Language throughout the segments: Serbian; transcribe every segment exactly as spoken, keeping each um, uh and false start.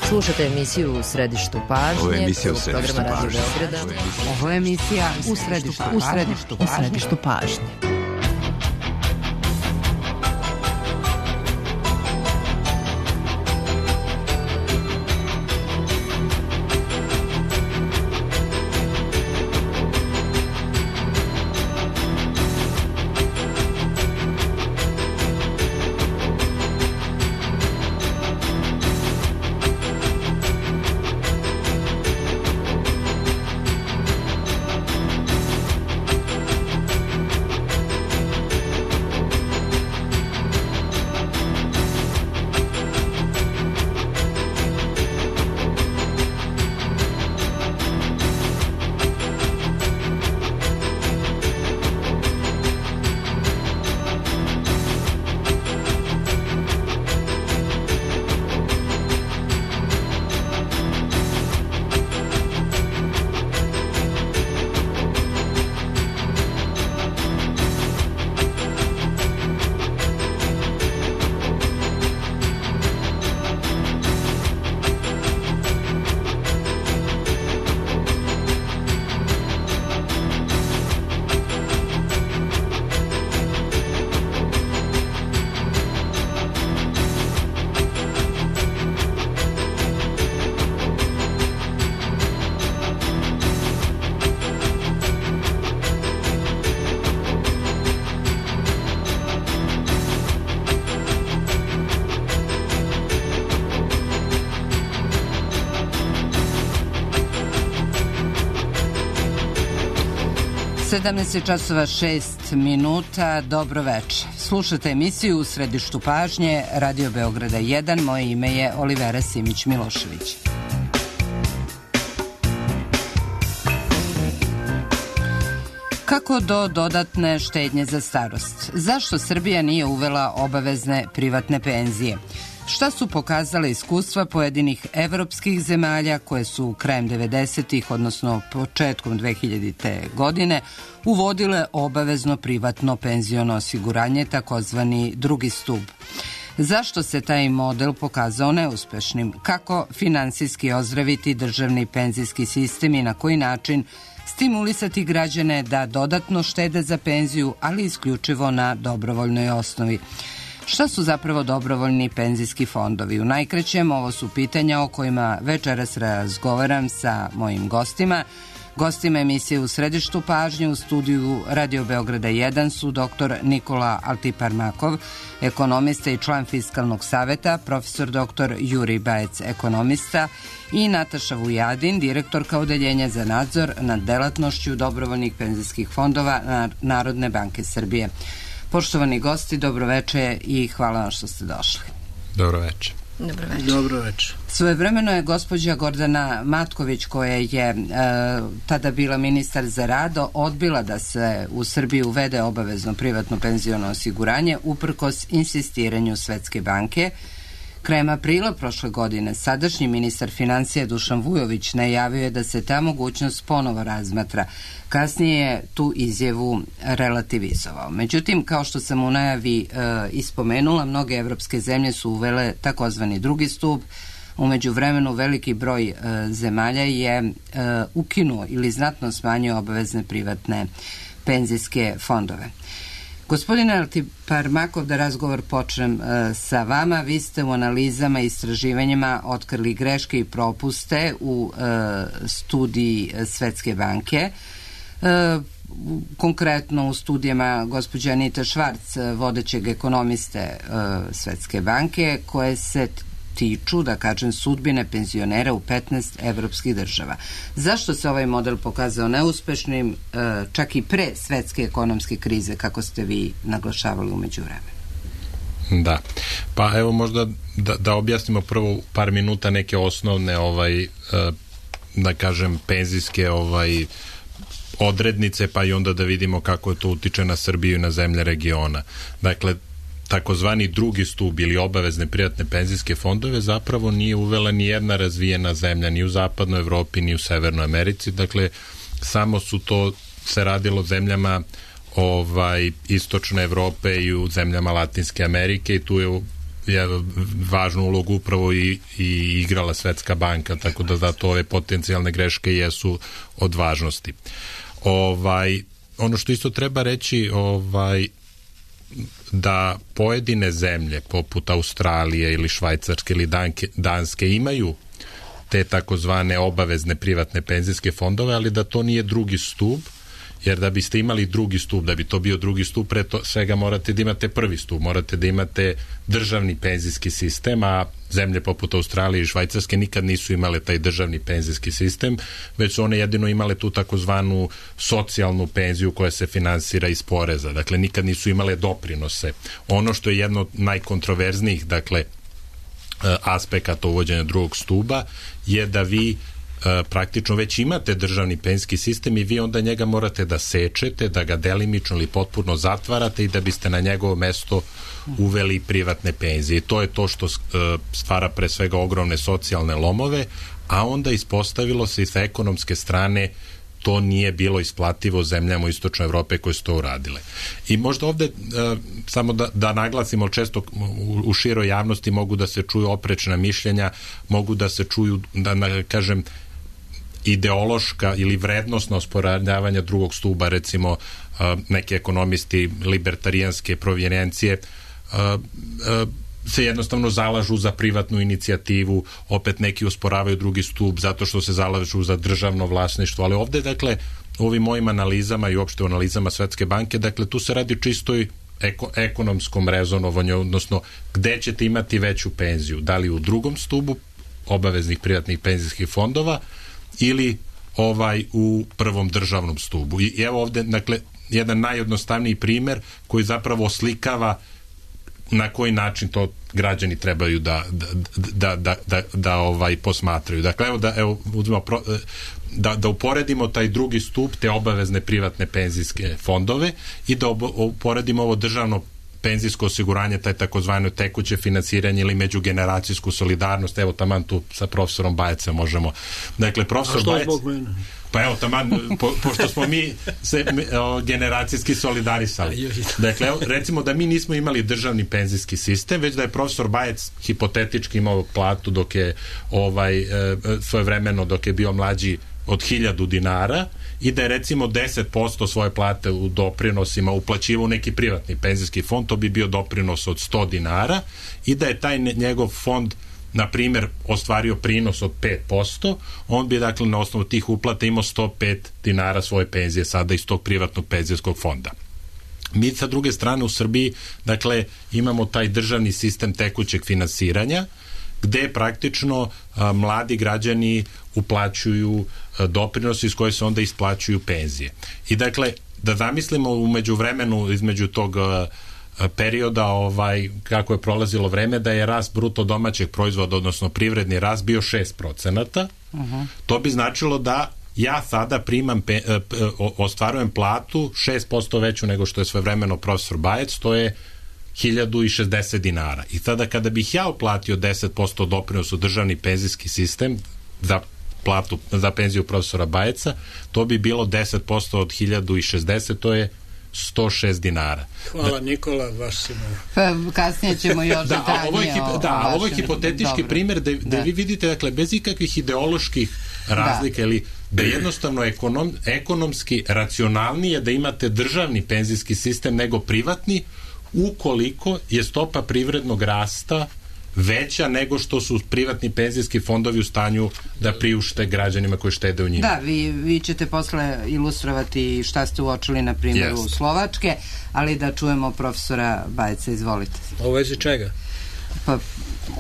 Slušate emisiju U središtu pažnje. Ovo je emisija U središtu pažnje. Ovo je emisija U središtu pažnje. U središtu, u središtu pažnje. sedamnaest časova šest minuta, dobro večer. Slušate emisiju U središtu pažnje, Radio Beograda jedan, moje ime je Olivera Simić-Milošević. Kako do dodatne štednje za starost? Zašto Srbija nije uvela obavezne privatne penzije? Šta su pokazale iskustva pojedinih evropskih zemalja koje su krajem devedesetih, odnosno početkom dve hiljadite. godine, uvodile obavezno privatno penziono osiguranje, takozvani drugi stub? Zašto se taj model pokazao neuspešnim? Kako finansijski ozdraviti državni penzijski sistem i na koji način stimulisati građane da dodatno štede za penziju, ali isključivo na dobrovoljnoj osnovi? Šta su zapravo dobrovoljni penzijski fondovi? U najkraćem, ovo su pitanja o kojima večeras razgovaram sa mojim gostima. Gostima emisije U središtu pažnje u studiju Radio Beograda jedan su doktor Nikola Altiparmakov, ekonomista i član Fiskalnog saveta, profesor doktor Jurij Bajec, ekonomista, i Nataša Vujadin, direktorka Odeljenja za nadzor nad delatnošću dobrovoljnih penzijskih fondova Narodne banke Srbije. Poštovani gosti, dobroveče i hvala vam što ste došli. Dobroveče. Dobroveče. Dobroveče. Svojevremeno je gospođa Gordana Matković, koja je e, tada bila ministar za rad, odbila da se u Srbiji uvede obavezno privatno penziono osiguranje uprkos insistiranju Svetske banke. Krajem aprila prošle godine sadašnji ministar financija Dušan Vujović najavio je da se ta mogućnost ponovo razmatra. Kasnije je tu izjavu relativizovao. Međutim, kao što sam u najavi e, ispomenula, mnoge evropske zemlje su uvele takozvani drugi stup. U međuvremenu veliki broj e, zemalja je e, ukinuo ili znatno smanjio obavezne privatne penzijske fondove. Gospodine Altiparmakov, da razgovor počnem e, sa vama. Vi ste u analizama i istraživanjima otkrili greške i propuste u e, studiji Svetske banke. E, konkretno u studijama gospođe Anite Švarc, vodećeg ekonomiste e, Svetske banke, koje se tiču, da kažem, sudbine penzionera u petnaest evropskih država. Zašto se ovaj model pokazao neuspešnim, čak i pre svetske ekonomske krize, kako ste vi naglašavali umeđu vremenu? Da. Pa evo možda da, da objasnimo prvo par minuta neke osnovne ovaj, da kažem, penzijske ovaj, odrednice, pa i onda da vidimo kako to utiče na Srbiju i na zemlje regiona. Dakle, takozvani drugi stub ili obavezne privatne penzijske fondove zapravo nije uvela ni jedna razvijena zemlja, ni u zapadnoj Evropi, ni u Severnoj Americi. Dakle, samo su to se radilo zemljama ovaj, istočne Evrope i u zemljama Latinske Amerike, i tu je je važnu ulogu upravo i, i igrala Svetska banka, tako da zato ove potencijalne greške jesu od važnosti. Ovaj, ono što isto treba reći, ovaj, da pojedine zemlje poput Australije ili Švajcarske ili Danke, Danske imaju te takozvane obavezne privatne penzijske fondove, ali da to nije drugi stup, jer da biste imali drugi stup, da bi to bio drugi stup, pre to svega morate da imate prvi stup, morate da imate državni penzijski sistem, a zemlje poput Australije i Švajcarske nikad nisu imale taj državni penzijski sistem, već su one jedino imale tu takozvanu socijalnu penziju koja se finansira iz poreza, dakle nikad nisu imale doprinose. Ono što je jedno od najkontroverznijih, dakle, aspekata uvođenja drugog stuba je da vi praktično već imate državni penzijski sistem i vi onda njega morate da sečete, da ga delimično ili potpuno zatvarate i da biste na njegovo mesto uveli privatne penzije. I to je to što stvara pre svega ogromne socijalne lomove, a onda ispostavilo se i sa ekonomske strane to nije bilo isplativo zemljama u istočnoj Evrope koje su to uradile. I možda ovde e, samo da, da naglasimo, često u, u široj javnosti mogu da se čuju oprečna mišljenja, mogu da se čuju, da na, kažem, ideološka ili vrednostna osporavanja drugog stuba, recimo e, neki ekonomisti libertarijanske provenijencije e, e, se jednostavno zalažu za privatnu inicijativu, opet neki osporavaju drugi stup zato što se zalažu za državno vlasništvo, ali ovde, dakle, u ovim mojim analizama i uopšte u analizama Svetske banke, dakle, tu se radi čistoj eko, ekonomskom rezonovanju, odnosno gde ćete imati veću penziju, da li u drugom stubu obaveznih privatnih penzijskih fondova ili ovaj u prvom državnom stubu. I, i evo ovde, dakle, jedan najjednostavniji primer koji zapravo oslikava na koji način to građani trebaju da da, da, da, da, da ovaj posmatraju. Dakle, evo da, evo, uzmemo pro, da, da uporedimo taj drugi stup, te obavezne privatne penzijske fondove i da obo, uporedimo ovo državno penzijsko osiguranje, taj takozvano tekuće finansiranje ili međugeneracijsku solidarnost. Evo, taman tu sa profesorom Bajecem možemo. Dakle, profesor Bajec... Pa evo, taman, po, pošto smo mi se o, generacijski solidarisali. Dakle, evo, recimo da mi nismo imali državni penzijski sistem, već da je profesor Bajec hipotetički imao platu dok je ovaj, e, svojevremeno dok je bio mlađi od hiljadu dinara i da je recimo deset posto svoje plate u doprinosima uplaćivao neki privatni penzijski fond, to bi bio doprinos od sto dinara i da je taj njegov fond na primjer ostvario prinos od pet posto, on bi dakle na osnovu tih uplata imao sto pet dinara svoje penzije sada iz tog privatnog penzijskog fonda. Mi sa druge strane u Srbiji dakle imamo taj državni sistem tekućeg finansiranja gde praktično a, mladi građani uplaćuju a, doprinosi iz koje se onda isplaćuju penzije. I dakle da zamislimo u međuvremenu između tog a, perioda ovaj, kako je prolazilo vreme, da je rast bruto domaćeg proizvoda, odnosno privredni rast bio šest procenata, uh-huh. To bi značilo da ja sada primam pe, e, ostvarujem platu šest posto veću nego što je svojevremeno profesor Bajec, to je hiljadu šezdeset dinara. I sada kada bih ja uplatio deset posto doprinos u državni penzijski sistem za platu, za penziju profesora Bajeca, to bi bilo deset posto od hiljadu šezdeset, to je sto šest dinara. Hvala Nikola, vaš si pa, kasnije ćemo još da, detaljnije ovo je, o, da, o ovo je hipotetički dobro. Primjer da, da. da vi vidite, dakle, bez ikakvih ideoloških razlika da. Ili da je jednostavno ekonom, ekonomski racionalnije da imate državni penzijski sistem nego privatni ukoliko je stopa privrednog rasta veća nego što su privatni penzijski fondovi u stanju da priušte građanima koji štede u njima. Da, vi, vi ćete posle ilustrovati šta ste uočili na primjeru yes. Slovačke, ali da čujemo profesora Bajeca, izvolite. U vezi čega? Pa,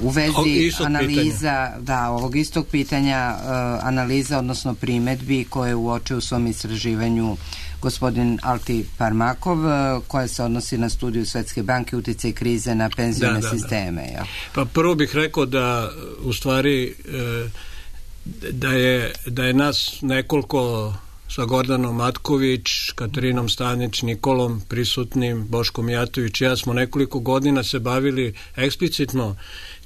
u vezi analiza, pitanja. Da, ovog istog pitanja, uh, analiza, odnosno primedbi koje uoče u svom istraživanju gospodin Alti Parmakov, koja se odnosi na studiju Svetske banke uticaj krize na penzione da, da, sisteme. Da. Ja. Pa prvo bih rekao da u stvari da je, da je nas nekoliko sa Gordanom Matković, Katarinom Stanić, Nikolom prisutnim, Boškom Jatović i ja smo nekoliko godina se bavili eksplicitno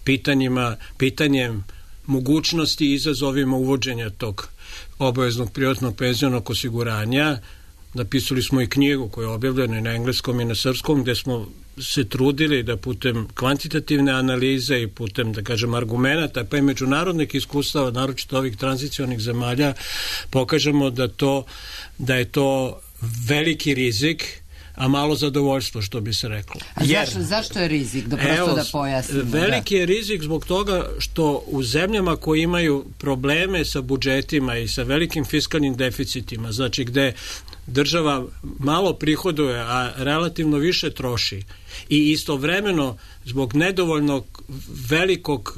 pitanjima, pitanjem mogućnosti i izazovima uvođenja tog obaveznog privatnog penzionog osiguranja. Napisali smo i knjigu koja je objavljena i na engleskom i na srpskom, gde smo se trudili da putem kvantitativne analize i putem, da kažem, argumenata, pa i međunarodnih iskustava, naročito ovih tranzicionih zemalja, pokažemo da to da je to veliki rizik, a malo zadovoljstvo, što bi se reklo. A Jer, zašto, zašto je rizik? Da prosto evo, da pojasnimo. Veliki da. je rizik zbog toga što u zemljama koje imaju probleme sa budžetima i sa velikim fiskalnim deficitima, znači gde država malo prihoduje, a relativno više troši i istovremeno zbog nedovoljnog velikog,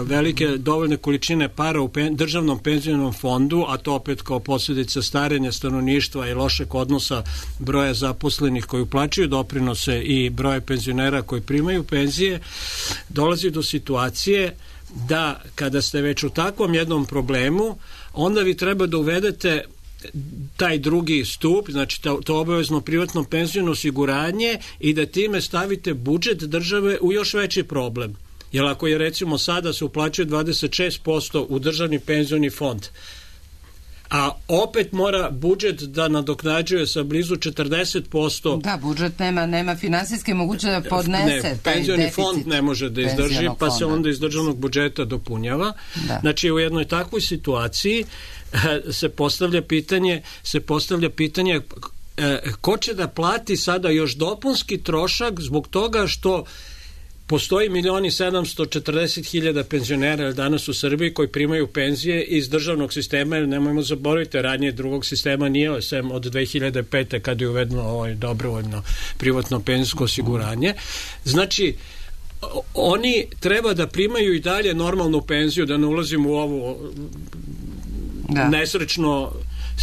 velike dovoljne količine para u pen, državnom penzionom fondu, a to opet kao posljedica starenja stanovništva i lošeg odnosa broja zaposlenih koji uplaćuju doprinose i broja penzionera koji primaju penzije, dolazi do situacije da kada ste već u takvom jednom problemu, onda vi treba da uvedete taj drugi stup, znači to, to obavezno privatno penziono osiguranje i da time stavite budžet države u još veći problem. Jer ako je recimo sada se uplaćuje dvadeset šest posto u državni penzioni fond, a opet mora budžet da nadoknađuje sa blizu četrdeset posto. Da, budžet nema, nema finansijske mogućnosti da podnese ne, taj penzioni deficit. Fond ne može da izdrži, pa fonda. Se onda iz državnog budžeta dopunjava. Da. Znači u jednoj takvoj situaciji se postavlja pitanje, se postavlja pitanje ko će da plati sada još dopunski trošak zbog toga što postoji milion i sedamsto četrdeset hiljada penzionera danas u Srbiji koji primaju penzije iz državnog sistema, jer nemojmo zaboraviti, ranije drugog sistema nije, sem od dve hiljade pete kada je uvedeno ovo dobrovoljno privatno penzijsko osiguranje. Znači, oni treba da primaju i dalje normalnu penziju, da ne ulazimo u ovu da. nesrećno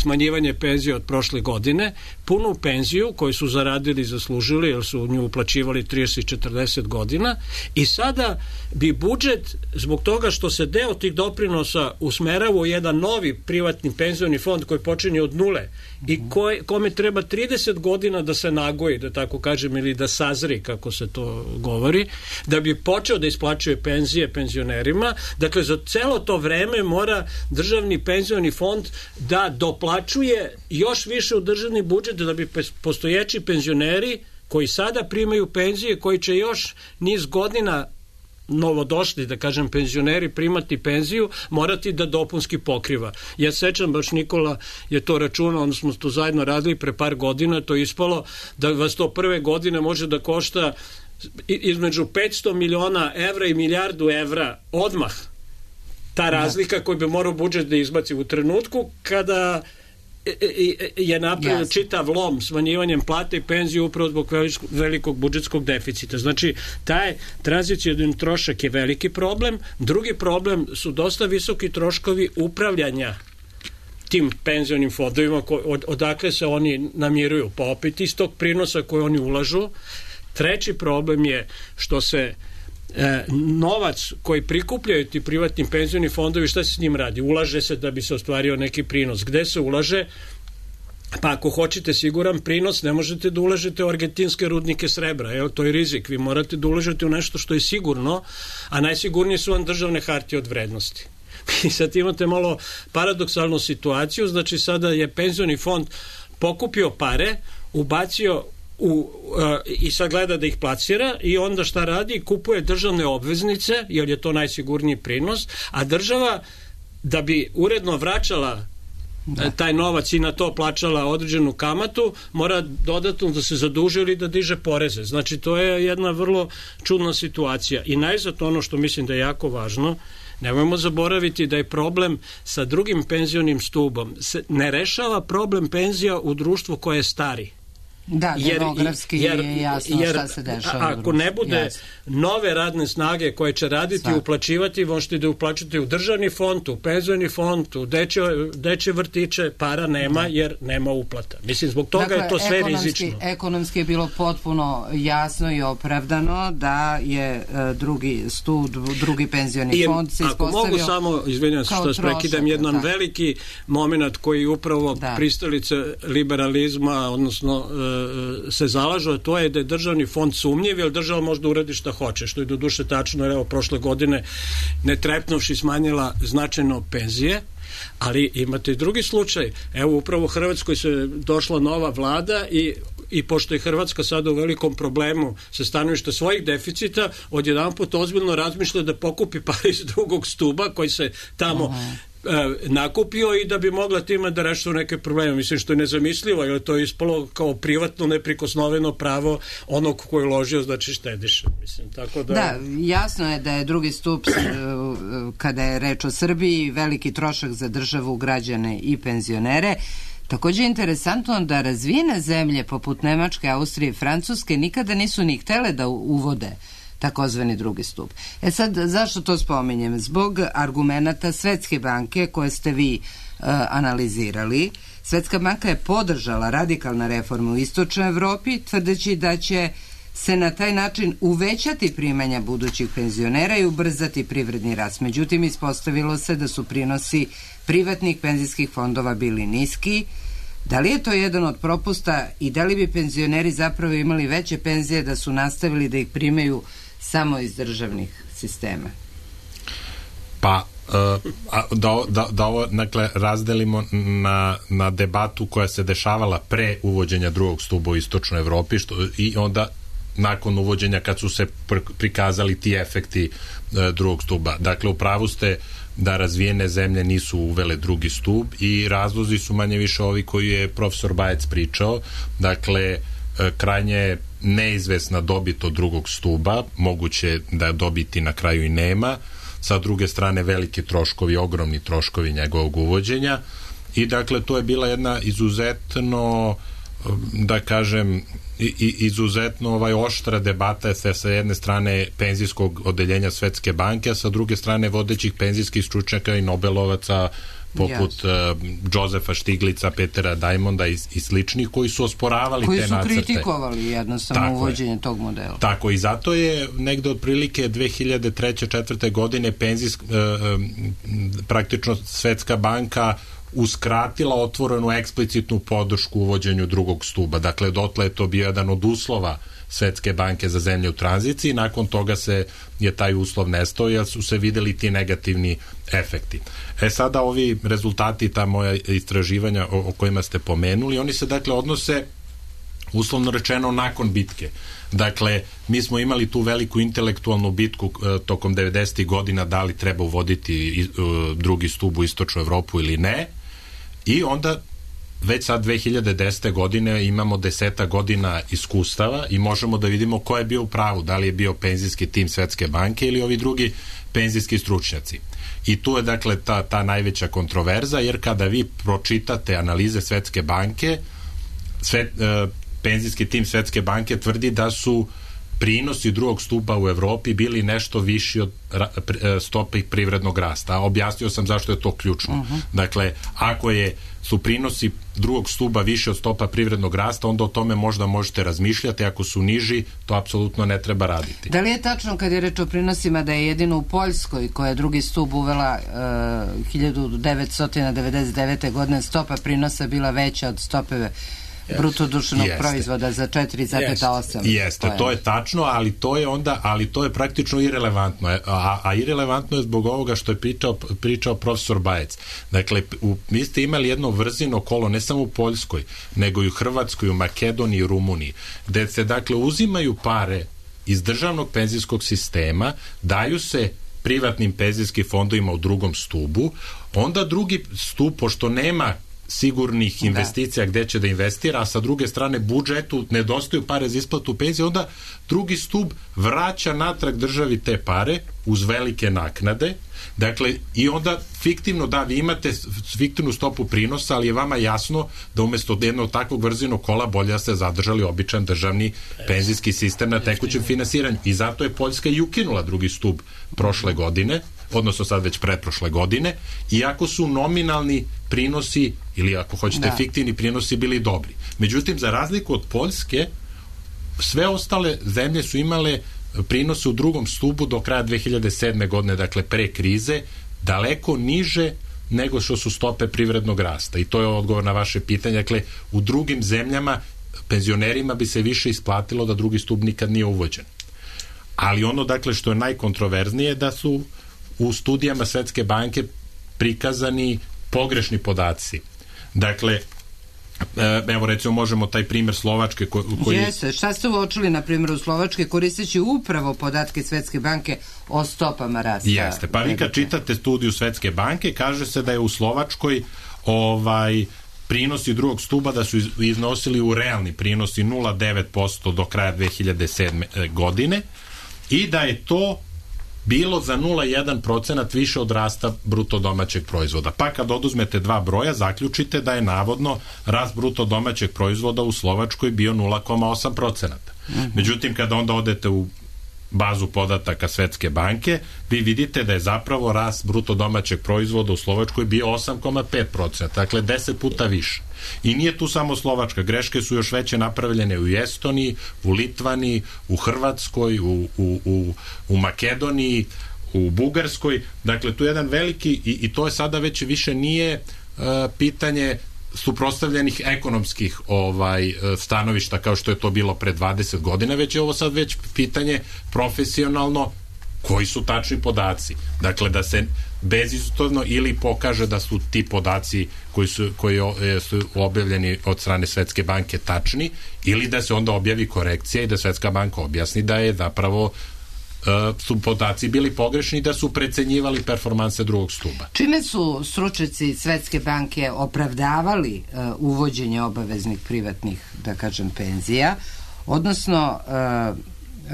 smanjivanje penzije od prošle godine, punu penziju koju su zaradili i zaslužili, jer su u nju uplaćivali trideset i četrdeset godina, i sada bi budžet, zbog toga što se deo tih doprinosa usmerava u jedan novi privatni penzioni fond koji počinje od nule i koj, kome treba trideset godina da se nagoji, da tako kažem, ili da sazri, kako se to govori, da bi počeo da isplaćuje penzije penzionerima. Dakle, za celo to vreme mora državni penzioni fond da doplaćuje još više u državni budžet, da bi postojeći penzioneri koji sada primaju penzije, koji će još niz godina novodošli, da kažem, penzioneri primati penziju, morati da dopunski pokriva. Ja sećam, baš Nikola je to računao, onda smo to zajedno radili pre par godina, to je ispalo da vas to prve godine može da košta između petsto miliona evra i milijardu evra odmah. Ta razlika koju bi morao budžet da izbaci u trenutku kada je napravio yes. čitav lom smanjivanjem plate i penzije upravo zbog velikog budžetskog deficita. Znači, taj tranzicijni trošak je veliki problem. Drugi problem su dosta visoki troškovi upravljanja tim penzionim fondovima, od, odakle se oni namiruju, pa opet iz tog prinosa koje oni ulažu. Treći problem je što se E, novac koji prikupljaju ti privatni penzioni fondovi, šta se s njim radi? Ulaže se da bi se ostvario neki prinos. Gde se ulaže? Pa ako hoćete siguran prinos, ne možete da ulažete u argentinske rudnike srebra. Evo, to je rizik. Vi morate da ulažete u nešto što je sigurno, a najsigurnije su vam državne hartije od vrednosti. I sad imate malo paradoksalnu situaciju, znači sada je penzioni fond pokupio pare, ubacio U, uh, i sad gleda da ih plasira i onda šta radi? Kupuje državne obveznice, jer je to najsigurniji prinos, a država, da bi uredno vraćala da. taj novac i na to plaćala određenu kamatu, mora dodatno da se zaduži ili da diže poreze. Znači, to je jedna vrlo čudna situacija. I najzad ono što mislim da je jako važno, nemojmo zaboraviti da je problem sa drugim penzionim stubom. Se ne rešava problem penzija u društvu koje je stari. Da, demografski jer, je jasno jer, šta se dešava. Ako ne bude jasno. nove radne snage koje će raditi i uplaćivati, možete da uplaćate u državni fond, u penzioni fond, u dečje, dečje vrtiće, para nema, da. jer nema uplata. Mislim, zbog toga dakle, je to sve rizično. Ekonomski je bilo potpuno jasno i opravdano da je uh, drugi stud, drugi penzioni I, fond se ispostavio. Ako mogu samo, izvinjam se što prekidam, jedan da. veliki moment koji upravo da. pristalice liberalizma, odnosno uh, se zalažu, a to je da je državni fond sumnjiv, jer država može da uradi šta hoće, što je do duše tačno, jer evo prošle godine ne trepnuvši smanjila značajno penzije, ali imate i drugi slučaj. Evo upravo u Hrvatskoj se došla nova vlada i i pošto je Hrvatska sada u velikom problemu sa stanovišta svojih deficita, odjedanput ozbiljno razmišlja da pokupi pare iz drugog stuba koji se tamo Aha. nakupio i da bi mogla time da reši neke probleme. Mislim što je nezamislivo, jer to je ispalo kao privatno neprikosnoveno pravo onog ko je uložio, znači štediše. Mislim, tako da... Da, jasno je da je drugi stup kada je reč o Srbiji veliki trošak za državu, građane i penzionere. Također je interesantno da razvijene zemlje poput Nemačke, Austrije i Francuske nikada nisu ni htele da uvode takozvani drugi stup. E sad, zašto to spominjem? Zbog argumenata Svetske banke koje ste vi uh, analizirali. Svetska banka je podržala radikalne reforme u istočnoj Evropi, tvrdeći da će se na taj način uvećati primanja budućih penzionera i ubrzati privredni rast. Međutim, ispostavilo se da su prinosi privatnih penzijskih fondova bili niski. Da li je to jedan od propusta i da li bi penzioneri zapravo imali veće penzije da su nastavili da ih primaju samo iz državnih sistema? Pa, da, da, da ovo dakle, razdelimo na, na debatu koja se dešavala pre uvođenja drugog stuba u istočnoj Evropi što, i onda nakon uvođenja kad su se pr prikazali ti efekti e, drugog stuba. Dakle, u pravu ste da razvijene zemlje nisu uvele drugi stup i razlozi su manje više ovi koji je profesor Bajec pričao. Dakle, e, krajnje neizvesna dobit od drugog stuba, moguće da dobiti na kraju i nema. Sa druge strane, veliki troškovi, ogromni troškovi njegovog uvođenja i dakle, to je bila jedna izuzetno da kažem i, izuzetno ovaj oštra debata se sa jedne strane penzijskog odeljenja Svetske banke, a sa druge strane vodećih penzijskih stručnjaka i Nobelovaca poput yes. uh, Josefa Štiglica, Petera Diamonda i, i sličnih koji su osporavali koji te su nacrte. Koji su kritikovali jednostavno tako uvođenje je. Tog modela. Tako i zato je negde otprilike dve hiljade treće četvrte godine penzijsk, uh, praktično Svetska banka uskratila otvorenu eksplicitnu podršku uvođenju drugog stuba. Dakle, dotle je to bio jedan od uslova Svetske banke za zemlje u tranziciji, nakon toga se je taj uslov nestao jer su se videli ti negativni efekti. E sada ovi rezultati, ta moja istraživanja o, o kojima ste pomenuli, oni se dakle odnose uslovno rečeno nakon bitke. Dakle, mi smo imali tu veliku intelektualnu bitku e, tokom devedesetih godina da li treba uvoditi e, drugi stub u istočnu Evropu ili ne i onda već sad dve hiljade desete godine imamo deseta godina iskustava i možemo da vidimo ko je bio u pravu, da li je bio penzijski tim Svetske banke ili ovi drugi penzijski stručnjaci. I tu je dakle ta, ta najveća kontroverza, jer kada vi pročitate analize Svetske banke, sve, e, penzijski tim Svetske banke tvrdi da su prinosi drugog stupa u Evropi bili nešto viši od stope privrednog rasta. Objasnio sam zašto je to ključno. Uh-huh. Dakle, ako je su prinosi drugog stuba više od stopa privrednog rasta, onda o tome možda možete razmišljati, ako su niži, to apsolutno ne treba raditi. Da li je tačno kad je reč o prinosima da je jedino u Poljskoj, koja je drugi stup uvela uh, hiljadu devetsto devedeset devete. godine, stopa prinosa bila veća od stope bruto društvenog proizvoda za četiri zarez osam? Jeste, to je tačno, ali to je onda, ali to je praktično irelevantno, a, a irelevantno je zbog ovoga što je pričao, pričao profesor Bajec. Dakle, u, vi ste imali jedno vrzino kolo, ne samo u Poljskoj, nego i u Hrvatskoj, u Makedoniji i Rumuniji, gde se dakle uzimaju pare iz državnog penzijskog sistema, daju se privatnim penzijskim fondovima u drugom stubu, onda drugi stup, pošto nema sigurnih investicija da. Gde će da investira, a sa druge strane budžetu nedostaju pare za isplatu penzije, onda drugi stup vraća natrag državi te pare uz velike naknade. Dakle, i onda fiktivno, da, vi imate fiktivnu stopu prinosa, ali je vama jasno da umesto jednog takvog vrzinog kola bolje da ste zadržali običan državni penzijski sistem na tekućem finansiranju. I zato je Poljska i ukinula drugi stup prošle godine, odnosno sad već pretprošle godine, iako su nominalni prinosi ili ako hoćete da. fiktivni prinosi bili dobri. Međutim, za razliku od Poljske, sve ostale zemlje su imale prinose u drugom stubu do kraja dve hiljade sedme. godine, dakle pre krize, daleko niže nego što su stope privrednog rasta. I to je odgovor na vaše pitanje. Dakle, u drugim zemljama penzionerima bi se više isplatilo da drugi stup nikad nije uvođen. Ali ono, dakle, što je najkontroverznije, da su u studijama Svetske banke prikazani pogrešni podaci. Dakle, Evo recimo možemo taj primjer Slovačke ko, koji... Jeste, šta ste uočili na primjeru Slovačke koristeći upravo podatke Svetske banke o stopama rasta? Jeste, pa vi kad čitate studiju Svetske banke, kaže se da je u Slovačkoj ovaj prinosi drugog stuba da su iznosili u realni prinosi nula zarez devet posto do kraja dve hiljade sedme godine i da je to bilo za nula zarez jedan procenat više od rasta bruto domaćeg proizvoda. Pa kad oduzmete dva broja, zaključite da je navodno rast bruto domaćeg proizvoda u Slovačkoj bio nula zarez osam procenata. Mm-hmm. Međutim, kada onda odete u bazu podataka Svetske banke, vi vidite da je zapravo rast bruto domaćeg proizvoda u Slovačkoj bio osam zarez pet procenata, dakle deset puta više. I nije tu samo Slovačka, greške su još veće napravljene u Estoniji, u Litvani, u Hrvatskoj, u, u, u, u Makedoniji, u Bugarskoj, dakle tu je jedan veliki, i, i to je sada već više nije uh, pitanje suprotstavljenih ekonomskih ovaj stanovišta kao što je to bilo pre dvadeset godina, već je ovo sad već pitanje profesionalno koji su tačni podaci. Dakle, da se bezizuzno ili pokaže da su ti podaci koji su, koji su objavljeni od strane Svetske banke tačni, ili da se onda objavi korekcija i da Svetska banka objasni da je zapravo su podaci bili pogrešni, da su precenjivali performanse drugog stuba. Čime su stručnjaci Svetske banke opravdavali uh, uvođenje obaveznih privatnih, da kažem, penzija? Odnosno, uh,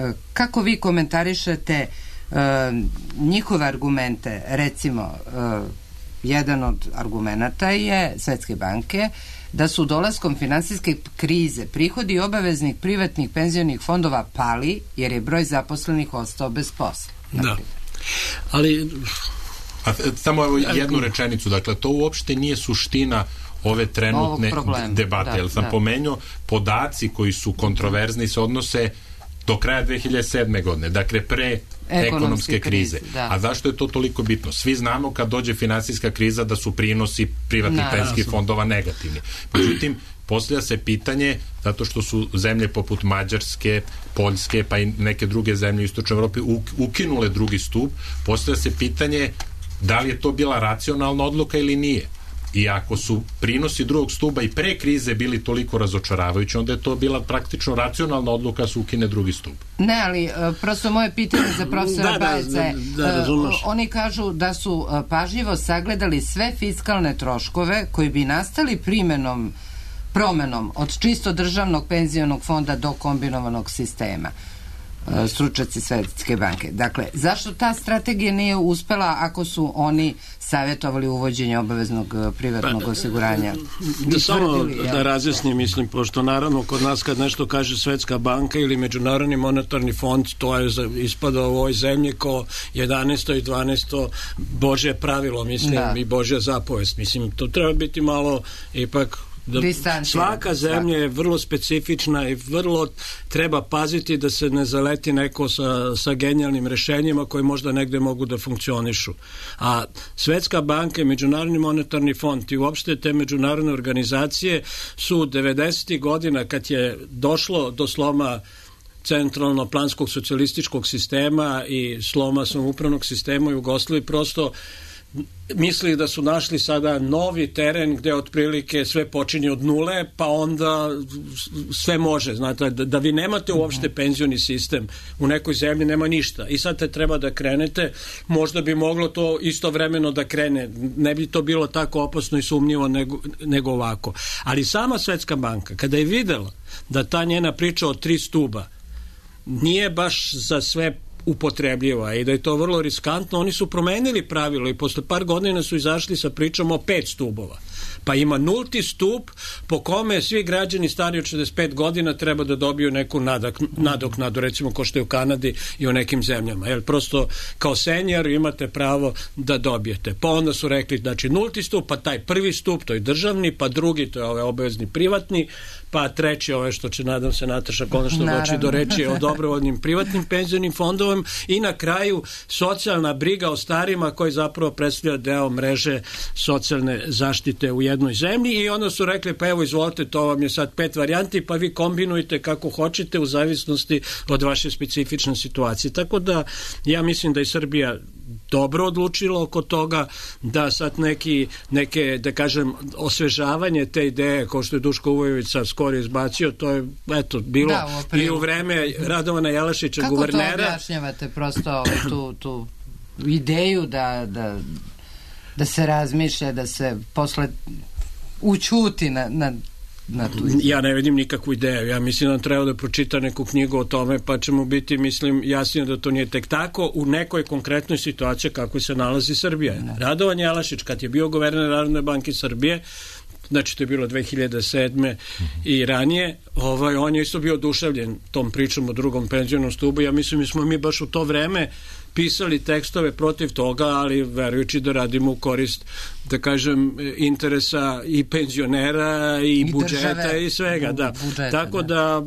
uh, kako vi komentarišete uh, njihove argumente? Recimo, uh, jedan od argumenata je Svetske banke da su dolaskom finansijske krize prihodi obaveznih privatnih penzionih fondova pali jer je broj zaposlenih ostao bez posla. Da. Ali... A, samo evo jednu rečenicu, dakle, to uopšte nije suština ove trenutne debate, da, jer sam da. pomenuo, podaci koji su kontroverzni se odnose do kraja dve hiljade sedme godine, dakle pre ekonomske, ekonomske krize. krize. A zašto je to toliko bitno? Svi znamo kad dođe finansijska kriza da su prinosi privatnih penzijskih fondova negativni. Međutim, postavlja se pitanje, zato što su zemlje poput Mađarske, Poljske, pa i neke druge zemlje u Istočnoj Evropi ukinule drugi stup, postavlja se pitanje da li je to bila racionalna odluka ili nije. I ako su prinosi drugog stuba i pre krize bili toliko razočaravajući, onda je to bila praktično racionalna odluka da se ukine drugi stup. Ne, ali uh, prosto moje pitanje za profesora da, Bajca je, da, da, uh, oni kažu da su uh, pažljivo sagledali sve fiskalne troškove koji bi nastali primenom, promenom od čisto državnog penzionog fonda do kombinovanog sistema. Stručnjaci Svetske banke. Dakle, zašto ta strategija nije uspela ako su oni savjetovali uvođenje obaveznog privatnog osiguranja? Da samo da razjasnim, mislim, pošto naravno kod nas kad nešto kaže Svetska banka ili Međunarodni monetarni fond, to je ispada u ovoj zemlji ko jedanaesto i dvanaesto Božje pravilo, mislim, da. I Božja zapovest. Mislim, to treba biti malo ipak da svaka zemlja je vrlo specifična i vrlo treba paziti da se ne zaleti neko sa, sa genijalnim rešenjima koji možda negde mogu da funkcionišu. A Svetska banka i Međunarodni monetarni fond i uopšte te međunarodne organizacije su devedesetih godina kad je došlo do sloma centralno-planskog socijalističkog sistema i sloma samoupravnog sistema u Jugoslaviji prosto mislili da su našli sada novi teren gde otprilike sve počinje od nule, pa onda sve može, znate, da, da vi nemate uopšte penzioni sistem u nekoj zemlji, nema ništa i sad te treba da krenete, možda bi moglo to istovremeno da krene, ne bi to bilo tako opasno i sumnjivo nego, nego ovako, ali sama Svetska banka kada je videla da ta njena priča o tri stuba nije baš za sve upotrebljiva i da je to vrlo riskantno, oni su promenili pravilo i posle par godina su izašli sa pričom o pet stubova. Pa ima nulti stup po kome svi građani stari od šezdeset pet godina treba da dobiju neku nadak, nadoknadu, recimo ko što je u Kanadi i u nekim zemljama. Jer prosto kao senior imate pravo da dobijete. Pa onda su rekli, znači nulti stup, pa taj prvi stup, to je državni, pa drugi, to je ovaj obavezni privatni, pa treći, ove što će, nadam se, Nataša konačno doći do reči o dobrovoljnim privatnim penzionim fondovima i na kraju socijalna briga o starima koji zapravo predstavlja deo mreže socijalne zaštite u jednoj zemlji i onda su rekli, pa evo izvolite, to vam je sad pet varijanti, pa vi kombinujte kako hoćete u zavisnosti od vaše specifične situacije. Tako da ja mislim da i Srbija dobro odlučilo oko toga, da sad neki, neke, da kažem, osvežavanje te ideje, kao što je Duško Uvojević sad skoro izbacio, to je, eto, bilo da, u i u vreme Radovana Jelašića, kako guvernera. Kako to objašnjavate prosto tu, tu ideju da, da, da se razmišlja, da se posle učuti na, na Na ja ne vidim nikakvu ideju. Ja mislim da treba da pročita neku knjigu o tome, pa ćemo biti, mislim, jasnije da to nije tek tako u nekoj konkretnoj situaciji kako se nalazi Srbija. Ne. Radovan Jelašić, kad je bio guverner Narodne banke Srbije, znači to je bilo dve hiljade sedme mm-hmm. i ranije, ovaj, on je isto bio oduševljen tom pričom o drugom penzionom stubu. Ja mislim da smo mi baš u to vreme pisali tekstove protiv toga, ali verujući da radimo u korist, da kažem, interesa i penzionera i, I budžeta države, i svega. Bu, da. Budžeta, tako da, da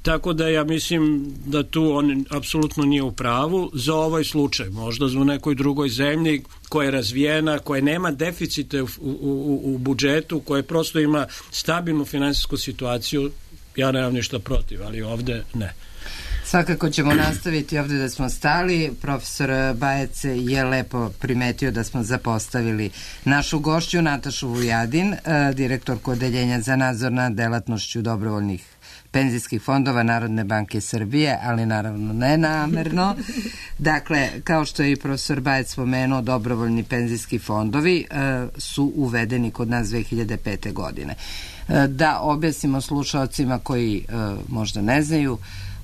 Tako da ja mislim da tu on apsolutno nije u pravu za ovaj slučaj. Možda u nekoj drugoj zemlji koja je razvijena, koja nema deficite u, u, u, u budžetu, koja prosto ima stabilnu finansijsku situaciju, ja nemam ništa protiv, ali ovde ne. Svakako ćemo nastaviti ovde da smo stali. Profesor Bajec je lepo primetio da smo zapostavili našu gošću Natašu Vujadin, direktorku Odeljenja za nadzor nad delatnošću dobrovoljnih penzijskih fondova Narodne banke Srbije, ali naravno ne namerno. Dakle, kao što je i profesor Bajec spomenuo, dobrovoljni penzijski fondovi e, su uvedeni kod nas dve hiljade pete. godine. E, da objasnimo slušalcima koji e, možda ne znaju,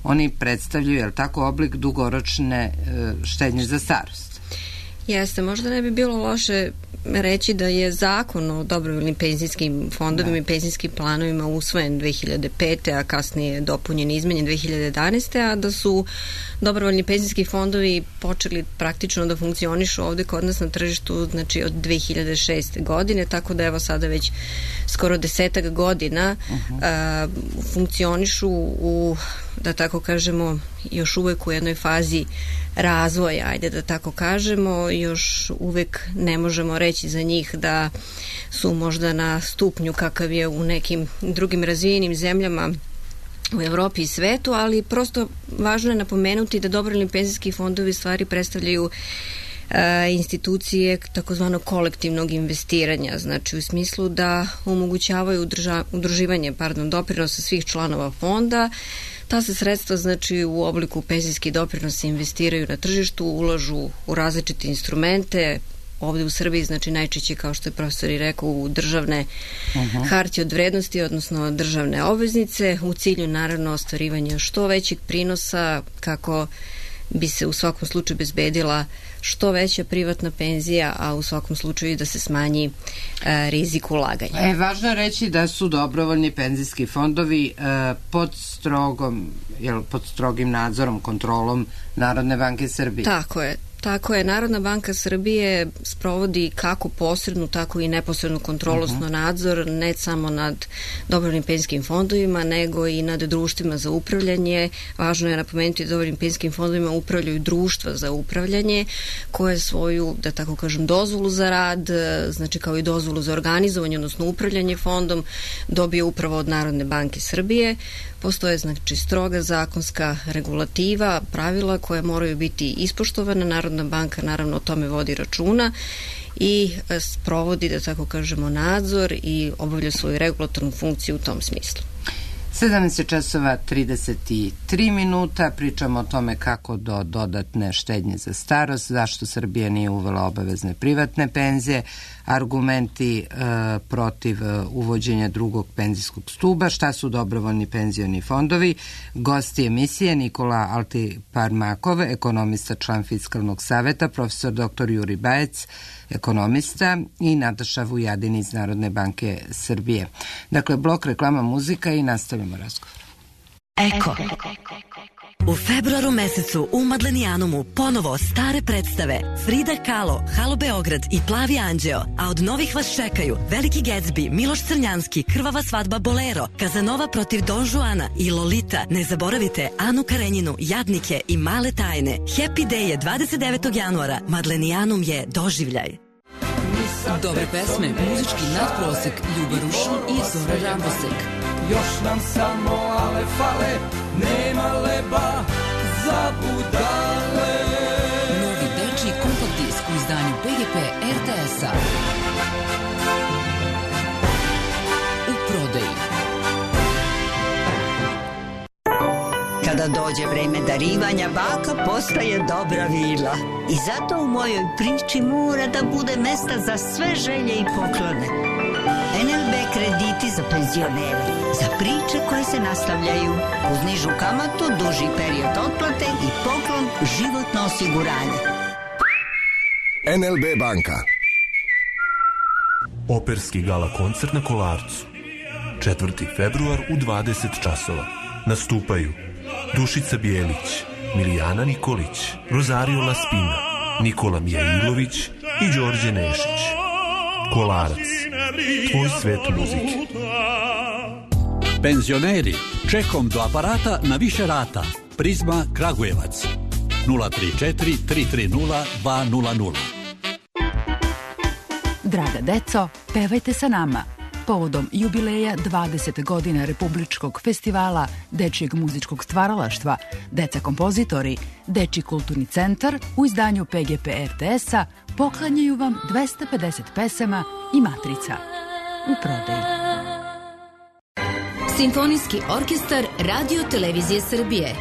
oni predstavljaju, je li tako, oblik dugoročne e, štednje za starost. Jeste, možda ne bi bilo loše reći da je zakon o dobrovoljnim penzijskim fondovima i penzijskim planovima usvojen dve hiljade pete. a kasnije dopunjen i izmenjen dve hiljade jedanaeste. a da su dobrovoljni penzijski fondovi počeli praktično da funkcionišu ovde kod nas na tržištu, znači od dve hiljade šeste. godine, tako da evo sada već skoro desetak godina uh-huh. a, funkcionišu u, da tako kažemo, još uvek u jednoj fazi razvoja, ajde da tako kažemo, još uvek ne možemo reći za njih da su možda na stupnju kakav je u nekim drugim razvijenim zemljama u Evropi i svetu, ali prosto važno je napomenuti da dobrovoljni penzijski fondovi stvari predstavljaju e, institucije takozvanog kolektivnog investiranja, znači u smislu da omogućavaju udrža, udruživanje pardon, doprinosa svih članova fonda. Ta se sredstva, znači, u obliku penzijskih doprinosa investiraju na tržištu, ulažu u različite instrumente, ovde u Srbiji, znači najčešće, kao što je profesor i rekao, u državne uh-huh. hartije od vrednosti, odnosno državne obveznice, u cilju naravno ostvarivanja što većeg prinosa, kako bi se u svakom slučaju bezbedila što veća privatna penzija, a u svakom slučaju da se smanji e, rizik ulaganja. E, važno je reći da su dobrovoljni penzijski fondovi e, pod strogom, jel, pod strogim nadzorom, kontrolom Narodne banke Srbije. Tako je. Tako je, Narodna banka Srbije sprovodi kako posrednu, tako i neposrednu kontrolu, uh-huh. nadzor, ne samo nad dobrovoljnim penzijskim fondovima, nego i nad društvima za upravljanje. Važno je napomenuti da dobrovoljnim penzijskim fondovima upravljaju društva za upravljanje, koje svoju, da tako kažem, dozvolu za rad, znači kao i dozvolu za organizovanje, odnosno upravljanje fondom, dobije upravo od Narodne banke Srbije. Postoje, znači, stroga zakonska regulativa, pravila koje moraju biti ispoštovane. Narodna banka naravno o tome vodi računa i sprovodi, da tako kažemo, nadzor i obavlja svoju regulatornu funkciju u tom smislu. sedamnaest časova trideset tri minuta, pričamo o tome kako do dodatne štednje za starost, zašto Srbija nije uvela obavezne privatne penzije, argumenti e, protiv e, uvođenja drugog penzijskog stuba, šta su dobrovoljni penzioni fondovi, gosti emisije Nikola Altiparmakov, ekonomista, član Fiskalnog saveta, profesor doktor Juri Bajec, ekonomista, i Nataša Vujadin iz Narodne banke Srbije. Dakle, blok, reklama, muzika i nastavljamo razgovor. Eko. U februaru mesecu u Madlenijanumu ponovo stare predstave Frida Kahlo, Halo Beograd i Plavi anđeo, a od novih vas čekaju Veliki Gatsby, Miloš Crnjanski, Krvava svadba Bolero, Kazanova protiv Don Juana i Lolita. Ne zaboravite Anu Karenjinu, Jadnike i Male tajne. Happy Day je dvadeset devetog januara. Madlenijanum je doživljaj. Dobre pesme, muzički nadprosek, Ljuba Rušin i Zora Rambosek. Još nam samo ale fale, nema leba za budale. Novi dečiji kompakt Kada dođe vreme darivanja, baka postaje dobra vila. I zato u mojoj priči mora da bude mesta za sve želje i poklone. en el be krediti za penzionere, za priče koje se nastavljaju, uz nižu kamatu, duži period otplate i poklon životno osiguranje. en el be banka. Operski gala koncert na Kolarcu. četvrti februar u dvadeset časova. Nastupaju Dušica Bijelić, Milijana Nikolić, Rosario Laspina, Nikola Mijailović i Đorđe Nešić. Kolarac, tvoj svet muzike. Penzioneri, čekom do aparata na više rata. Prizma Kragujevac. nula tri četiri tri tri nula dva nula nula. Draga deco, pevajte sa nama. Povodom jubileja dvadeset godina Republičkog festivala dečijeg muzičkog stvaralaštva, Deca kompozitori, Dečiji kulturni centar u izdanju pe ge pe er te es-a poklanjaju vam dvesta pedeset pesama i matrica. U prodaju. Simfonijski orkestar Radio Televizije Srbije.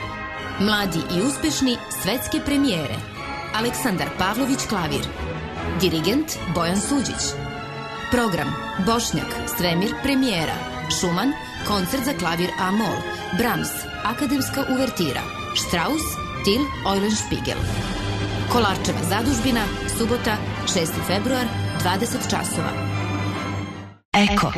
Mladi i uspešni svetske premijere. Aleksandar Pavlović klavir. Dirigent Bojan Suđić. Program Bošnjak, Svemir premijera. Šuman, koncert za klavir A-mol. Brahms, akademska uvertira. Strauss, Til Eulenspiegel. Kolarčeva zadužbina, subota, šesti februar, dvadeset časova. Eko.